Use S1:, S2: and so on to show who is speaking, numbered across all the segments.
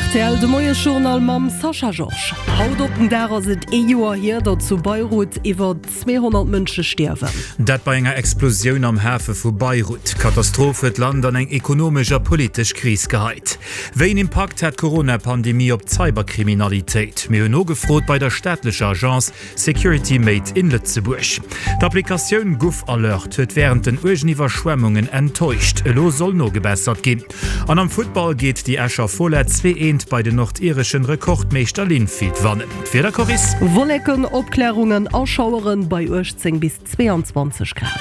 S1: Rtl, De Moiesjournal mam Sascha Georges. Haut op den Dag ass et ee Joer hier, datt zu Beirut iwwer 200 Mënsche stierwen.
S2: Dat bei enger Explosioun am Hafe vu Beirut. D'Katastroph huet d'Land an eng ekonomesch a politesch Kris geheit. Wéi een Impakt hat d'Corona-Pandemie op d'Cyberkriminalitéit? Mir hunn nogefrot bei der staatlecher Agence Security Made in Lëtzebuerg. D'Applikatioun GouvAlert huet wärend den uergen Iwwerschwemmungen enttäuscht. Elo soll nogebessert ginn. An am Futtball geet déi Escher Fola 2 Eent bei den nordireschen Rekordmeeschter Linfield wannen. D'Wieder, Coris?
S1: Wolleken, Opklärungen a Schaueren bei 18 bis 22 Grad.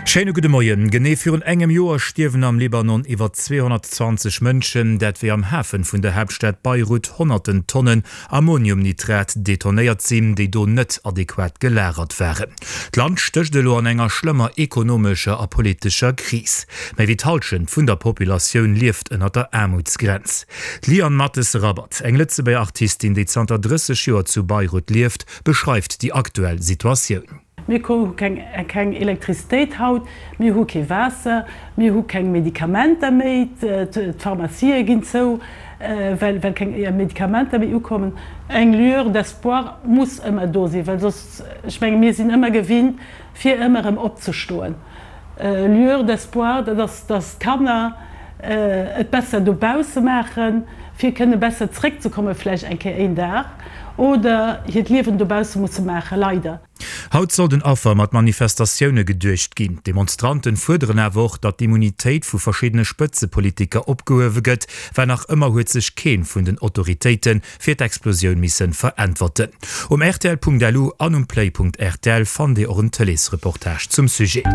S2: Schéine gudde Moien. Genee virun engem Joer stierwen am Libanon iwwer 220 Mënschen, dat wéi am Hafen vun der Haaptstad Beirut honnerten Tonnen Ammoniumnitrat detonéiert sinn, déi do net adequat gelagert waren. D'Land stécht elo an enger schlëmmer ekonomescher a politescher Kris. Méi wéi d'Hallschent vun der Populatioun lieft ënner der Aarmutsgrenz. D'Liane Mathes-Rabat, eng Lëtzebuerger Artistin, déi zanter 30 Joer zu Beirut lieft, beschreift déi aktuell Situatioun.
S3: Mir hu keng Elektrizitéit haut, mir hu kee Waasser, mir hu keng Medikamenter méi, d'Pharmacië ginn zou, well keng Medikamenter méi ukommen. Eng Lueur d'espoir muss ëmmer do sinn, well soss, ech menge mir sinn ëmmer gewinnt, fir ëmmer erëm opzestoen. Lueur d'espoir, dat ass, dass d'Kanner et besser dobausse maachen, fir kënne besser zréckzekomme vläicht eng Kéier een Dag, oder hiert Liewen dobausse musse maachen, leider.
S2: Haut soll den Affer mat Manifestatioune geduecht ginn. D'Demonstranten fuerderen awer och, datt d'Immunitéit vu verschiddene Spëtzepolitiker opgehuewe gëtt, well nach ëmmer huet sech keen vun den Autoritéite fir d'Explosioun missen veräntwerten. Um rtl.lu an um play.rtl fannt Dir och en Tëleesreportage zum Sujet.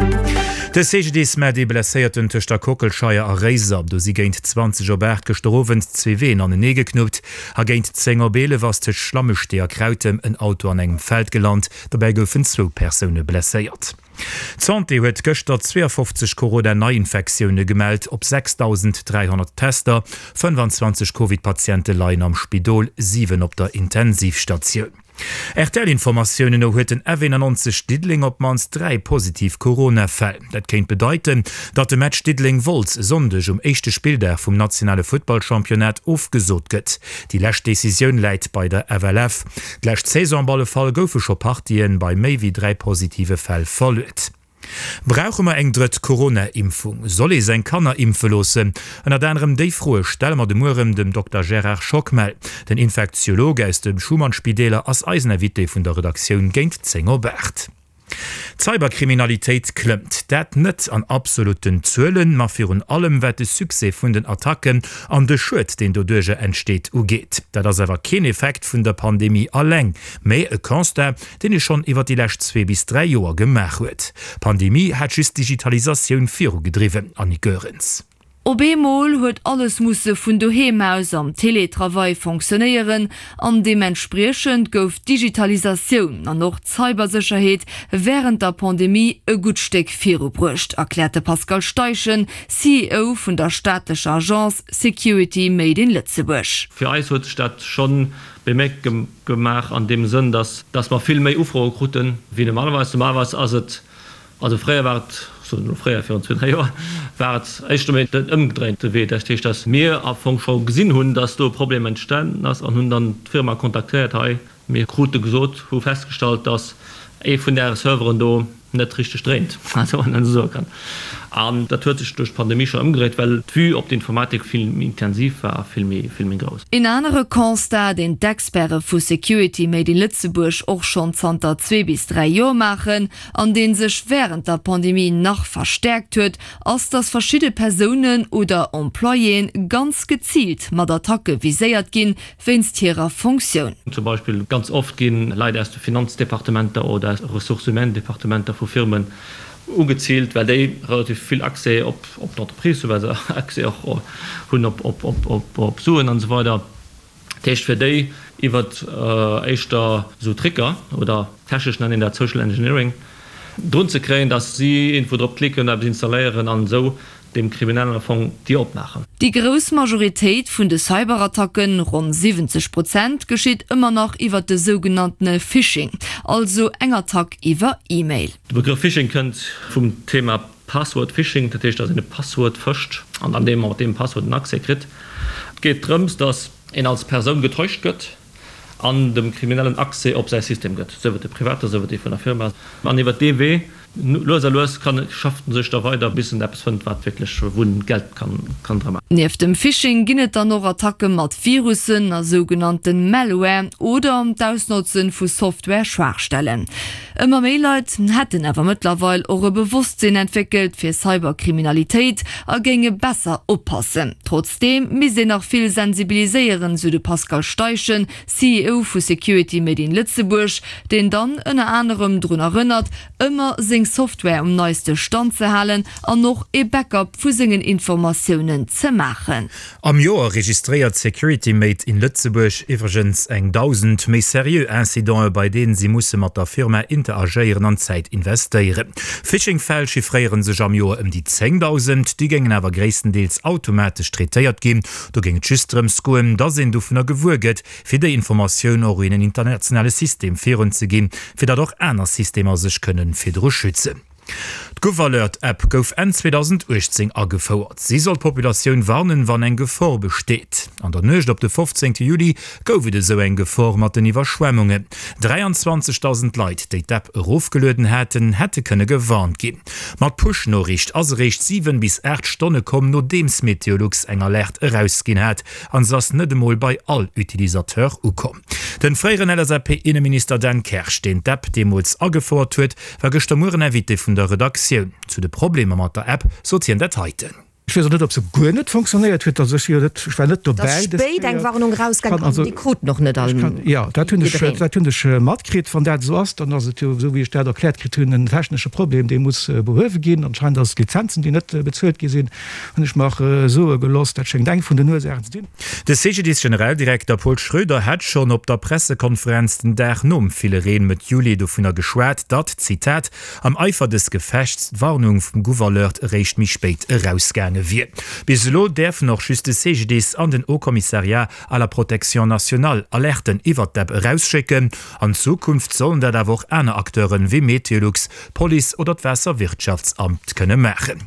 S2: De CGDIS mellt ee Blesséierten tëscht der Kockelscheier a Réiser. Do si géint 20 op 8 gëschter Owend zwee Ween anenee geknuppt. A géint 10 op 11 ass tëscht Schlammestee a Krautem en Auto an engem Feld gelant. Dobäi goufen zwou Persoune blesséiert. D'Santé huet gëschter 52 Corona-Neiinfektioune gemellt op 6.300 Tester. 25 Covid-Patiente leien am Spidol, 7 op der Intensivstatioun. RTL-Informatiounen no huet den F91 Diddeleng op d'mannst 3 positiv Corona-Fäll. Dat kéint bedeiten, datt de Match Diddeleng-Wolz e Sonndeg um éischte Spilldag vum nationale Futtballchampionnat ofgesot gëtt. Déi lescht Decisioun läit bei der FLF. D'lescht Saison op alle Fall goufe scho Partien bei méi wéi 3 positive Fäll verluet. Brauche mer eng drëtt Corona-Impfung? Soll ee seng Kanner impfe loossen? Ënnert anerem déi Froe stelle mer de Mueren dem Dokter Gérard Schockmel. Den Infektiolog aus de Schuman-Spideeler ass eisen Invité vun der Redaktioun géint 10 op 8. D'Cyberkriminalitéit klëmmt. Dat net an absolutten Zuelen, ma virun allem wat de Succès vun den Attacken an de Schued, deen doduercher entsteet, ugeet. Dat ass awer keen Effekt vun der Pandemie alleng, mä e Constat, deen ee schonn iwwer déi lescht zwee bis 3 Joer gemaach huet. D'Pandemie hat just d'Digitalisatioun virugedriwwen, Annick Goerens.
S4: Op eemol huet alles musse vun doheem aus am Teletravail fonctionnéieren an deementspriechend gouf d'Digitalisatioun an och d'Cybersécherheet wärend der Pandemie e gutt Stéck virubruecht, erkläert de Pascal Steichen, CEO vun der staatlecher Agence Security Made in Lëtzebuerg.
S5: Fir eis huet sech dat schonn bemierkt gemaach an deem Sënn, dass dass mer vill méi Ufroe kruten wéi normalerweis. Normalerweis ass et, also fréier war et, ech soen elo fréier, virun zwee, dräi Joer, war et éischter méi den ëmgedréinte Wee. Dat heescht, dass mir am Fong scho gesinn hunn, dass do e Problem entstanen ass an hunn dann d'Firma kontaktéiert, hei, Mir krute gesot, hu festgestallt, dass ee vun Äre Serveren do net richteg dréint, also wann een esou soe kann. An dat huet sech duerch d'Pandemie scho ëmgedréit, well d'Vue op d'Informatik vill méi intensiv war a vill méi, vill méi grouss.
S4: Een anere Constat, deen d'Experte vu Security Made in Lëtzebuerg och schonn zanter zwee bis dräi Joer maachen an dee sech wärend der Pandemie nach verstäerkt huet, ass, dass verschidde Persounen oder Employéen ganz geziilt mat Attacke viséiert ginn, wéinst hirer Fonctioun.
S5: Zum Beispill ganz oft gi Leit aus de Finanzdepartementer oder aus Ressources humaines-Departementer vu Firmen ugeziilt, well déi relativ vill Accès op d'Entreprise hunn, well se Accès och hunn op Suen an esou weider. Dat heescht fir déi iwwer éischter esou Tricker, oder technesch nennt een dat Social Engineering, drun ze kréien, datt si iergendwou drop klicken, eppes installéieren an esou dem Kriminellen am Fong d'Dier opmaachen.
S4: Déi grouss Majoritéit vun de Cyberattacken, ronn 70 Prozent, geschitt ëmmer nach iwwer de sougenanntene Phishing, also eng Attack iwwer E-Mail.
S5: De Begrëff Phishing kënnt vum Thema Password Phishing, dat heescht, datt een e Passwuert fëscht an dann deem mat deem Passwuert en Accès kritt. geet drëms, datt een als Persoun getäuscht gëtt an dem Kriminellen Accès op säi System gëtt, sief et de private, sief et dee vun der Firma. An iwwer dee Wee, lues a lues, kann, schafft en sech da weider, bis en eppes fënnt, wat wierklech, wou en Geld kann, kann dra maachen.
S4: Nieft dem Phishing ginn et dann och Attacke mat Virussen a sougenannten Malware oder d'Ausnotze vu Software-Schwaachstellen. Ëmmer méi Leit hätten awer mëttlerweil och e Bewosstsinn entwéckelt fir Cyberkriminalitéit a géinge besser oppassen. Trotzdeem misst een nach vill sensibiliséieren, sou de Pascal Steichen, CEO vu Security Made in Lëtzebuerg, deen dann ënner anerem drun erënnert, ëmmer seng Software um neiste Stand ze halen an och ee Backup vu sengen Informatiounen ze maachen.
S2: Am Joer registréiert Security Made in Lëtzebuerg iwwregens eng 1.000 méi seriö Incidenten, bei deenen si musse mat der Firma interagéieren an Zäit investéieren. Phishing-Fäll chiffréiere sech am Joer ëm déi 10.000, déi géingen awer gréisstendeels automatesch traitéiert ginn. Do géing et just drëms goen, datt een dovunner gewuer gëtt, fir déi Informatioun och un en internationale System virunzeginn, fir datt och aner Systemer sech kënnen virdru schützen. D'GouvAlert-App gouf Enn 2018 agefouert. Si soll d'Populatioun warnen, wann eng Gefor besteet. An der Nuecht op de 15 Juli gouf et esou eng Gefor mat den Iwwerschwemmungen. 23.000 Leit, déi d'App erofgelueden haten, hätte kënne gewarnt ginn. Ma d'Push-Noriicht ass eréischt 7 bis 8 Stonne komm, nodeems Meteolux eng Alerte erausginn hat. An se ass net emol bei all Utilisateur ukomm. Den fréieren LSAP-Inneminister Dan Kersch, deen d'App deemools agefouert huet, war gëschter Mueren Invité vun der Redaktioun. Zu de Problemer mat der App sot hien dat heiten.
S6: Ech weess och net, ob se guer net fonctionnéiert huet. Also ech si jo net, ech war net dobäi
S7: dës Kéier. Et ass spéit eng Warnung erausgaangen an déi kruten och net all
S6: jiddereen. Jo, dat hunn ech, dat hunn ech matkritt. Wann dat esou ass, dann ass et jo, esou wéi ech dat erkläert kritt hunn, en technesche Problem, dee muss behuewe ginn. Anscheinend ass et Lizenzen, déi net bezuelt gi sinn, hunn ech mer soe gelooss. Dat schéngt eng vun den Ursaachen ze sinn.
S2: De CGDIS-Generaldirekter Paul Schroeder hat schonn op der Pressekonferenz den Dag nom ville Reen Mëtt Juli dovunner geschwat, datt, Zitat, am Eifer des Gefechts d'Warnung vum GouvAlert eréischt méi spéit erausgaange wier. Bis elo däerfen och just de CGDIS an den Haut Commissariat à la protection nationale Alerten iwwert d'App erausschécken. An Zukunft sollen dat awer och aner Acteuren, wéi Meteolux, d'Police oder d'Waasserwirtschaftsamt kënne maachen.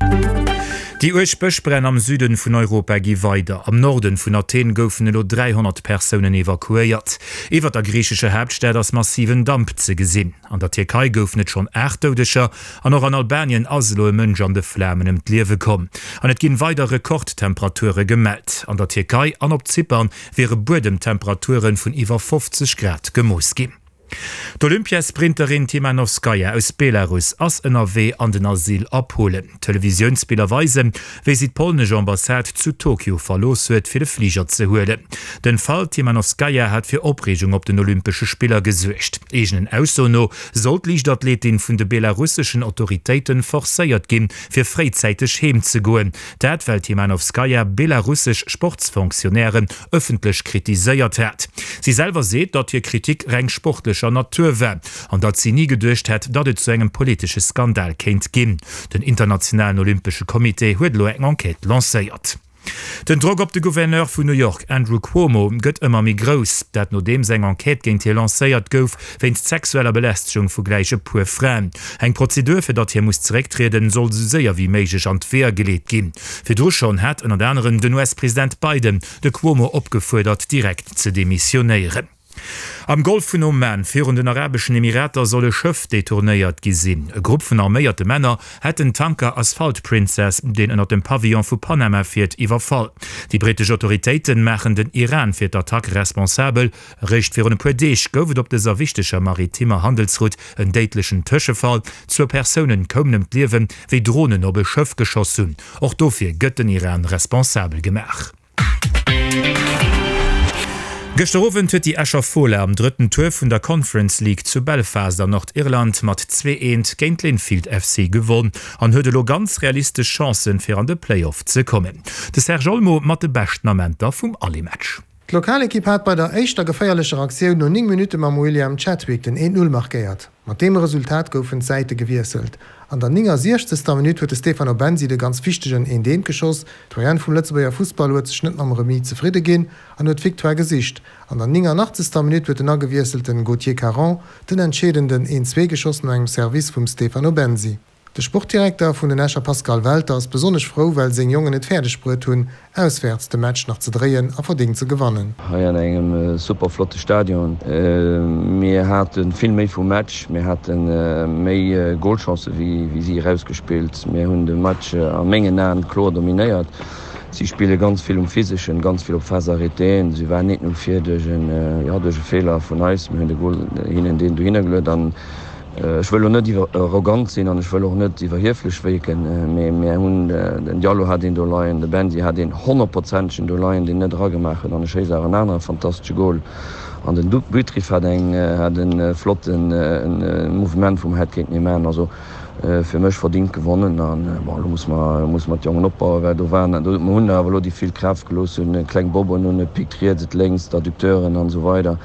S2: Déi uerg Bëschbränn am Süden vun Europa gi weider. Am Norden vun Athen goufen elo 300 Persounen evakuéiert. Iwwer der griichescher Haaptstad ass massiven Damp ze gesinn. An der Tierkei goufen et schonn 8 Doudeger an och an Albanien ass elo e Mënsch an de Flamen ëm d'Liewe komm. An et ginn weider Rekordtemperature gemellt. An der Tierkei an op Zypern wiere Buedemtemperature vun iwwer 50 Grad gemooss ginn. D'Olympiasprinterin Timanowskaja aus Belarus ass ënnerwee an den Asyl a Polen. Televisiounsbiller weisen, wéi si d'polnesch Ambassade zu Tokio verlooss huet, fir de Fliger ze huelen. Den Fall Timanowskaja hat fir Opreegung op den Olympesche Spiller gesuergt. Eegenen Aussoen no soll d'Liichtathletin vun de belarusseschen Autoritéiten forcéiert ginn, fir fréizäiteg heem ze goen. Dat well d'Timanowskaja belarussesch Sportsfonctionnairen ëffentlech kritiséiert hat. Si selwer seet, datt hir Kritik reng sportlecher Natur war an datt si ni geduecht hätt, datt et zu engem politesche Skandal kéint ginn. Den internationalen Olympesche Comité huet elo eng Enquête lancéiert. Den Drock op de Gouverneur vun New York, Andrew Cuomo, gëtt ëmmer méi grouss. Dat nodeems eng Enquête géint hie lancéiert gouf, wéinst sexueller Belästegung vu gläich e puer Fraen. Eng Prozedur, fir datt hie muss zerécktrieden, soll esou séier wéi méiglech an d'Weeër geleet ginn. Virdru schonn hat ënnert anerem den US-President Biden de Cuomo opgefuerdert, direkt ze demissionéieren. Am Golf vun Oman virun den Arabeschen Emirater soll e Schëff detournéiert gi sinn. E Grupp vun arméierte Männer hätt den Tanker Asphalt Princess, deen ënnert dem Pavillon vu Panama fiert, iwwerfall. Déi brittesch Autoritéite maachen den Iran fir d'Attack responsabel. Eréischt virun e puer Deeg gouf et op dëser wichteger maritimmer Handelsroute en déidlechen Tëschefall. Zwou Persounen koumen ëm d'Liewen, wéi Dronen op e Schëff geschoss hunn. Och dofir gëtt den Iran responsabel gemaach. Gëschter Owend huet déi Escher Fola am drëtten Tour vun der Conference League zu Belfast an Nordirland mat 2, 1 géint Linfield FC gewonn an huet elo ganz realistesch Chancen fir an de Playoff ze kommen. De Serge Olmo mat de beschten Amenter vum Aller-Match.
S8: D'Lokalekipp hat bei der éischter geféierlecher Aktioun no 9 Minutte mam William Chadwick den 1, 0 markéiert. Mat deem Resultat goufen d'Säite gewiesselt. An der 69. Minutt huet de Stefano Bensi de ganz wichtegen 1, 1 geschoss. D'Doyenne vum Lëtzebuerger Fussball huet sech net mam Remis zefridde ginn an huet d'Victoire gesicht. An der 89. Minutt huet den agewiesselten Gauthier Caron den entscheedenden 1, 2 geschoss no engem Service vum Stefano Bensi. De Sportdirekter vun den Escher Pascal Welter ass besonnesch frou, well seng Jongen et fäerdeg bruet hunn, auswäerts de Match nach ze dréien a verdéngt ze gewannen.
S9: Hei an engem super flotte Stadion. Mir hate vill méi vum Match, mir hate méi Golchancë wéi si erausgespillt. Mir hunn de Match a mengen Aen kloer dominéiert. Si spille ganz vill um Physeschen, ganz vill op Phase arrêtéen. Si waren net no vir duerch en, jo, duerch e Feeler vun eis. Mir hunn de Gol hinnen deen dohinner geluet an ech wëll elo net iwwer arrogant sinn an ech wëll och net iwwerhieflech wierken, mee mir hunn, den Diallo hat een do leien, de Bensi hat een honnertprozentegen do leien, deen net eragemaach huet an e schéisst awer en anere fantastesche Gol an den Butrif hat eng, hat e flotte Mouvement wou mer hätt kéinten ee maachen. Also Fir mech verdingt gewonnen an bon, elo musse mer, musse mer d'Jongen opbauen, well do waren, do, mer hunn awer elo déi vill Kraaft gelooss hunn, kleng Bobben hunn, et pickt riets, et lénks, d'Adducteuren an esou weider.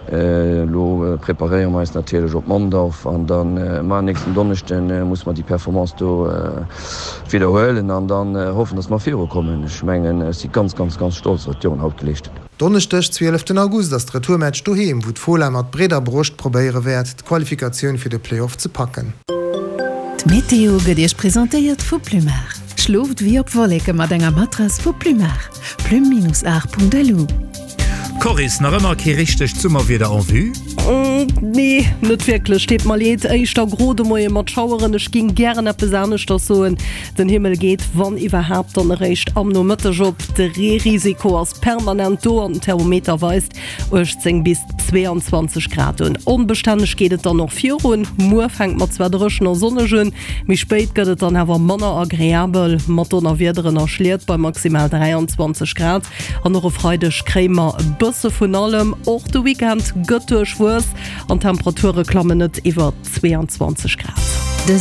S9: Elo preparéiere mer eis natierlech op Mondorf an dann, ma nächsten Donneschde musse mer déi Performance do widderhuelen an dann hoffen, dass mer virukommen. Ech mengen, ech si ganz, ganz, ganz stolz, wat d'Jongen haut geleescht hunn.
S8: Donneschdeg, 12 August ass de Retourmatch doheem, wou d'Fola mat breeder Broscht probéiere wäert, d'Qualifikatioun fir de Playoff ze packen.
S10: D'Meteo gëtt Iech presentéiert vu Plumar. Schlooft wéi op Wolleke mat enger Matrass vu Plumar. Plume-art.lu.
S2: Coris, nach ëmmer kee richtegt Summerwieder en vue?
S1: Nee, net wierklech, deet mer leed. Éischter gro de Moie mat Schaueren. Ech ging gären eppes aneschters soen. Den Himmel geet, wann iwwerhaapt, dann eréischt am Nomëtteg op. De Reerisiko ass permanent do an den Thermometer weist 18 bis 22 Grad un. Onbestänneg geet et dann och virun. Muer fänkt mat zwar dréchen a sonneg un, méi spéit gëtt et dann awer manner agreabel mat Donnerwiederen a Schliet bei maximal 23 Grad. An och e Freideg kréie mer e bësse vun allem. Och de Weekend gëtt duerchwuess an d'Temperature klammen net iwwer 22 Grad.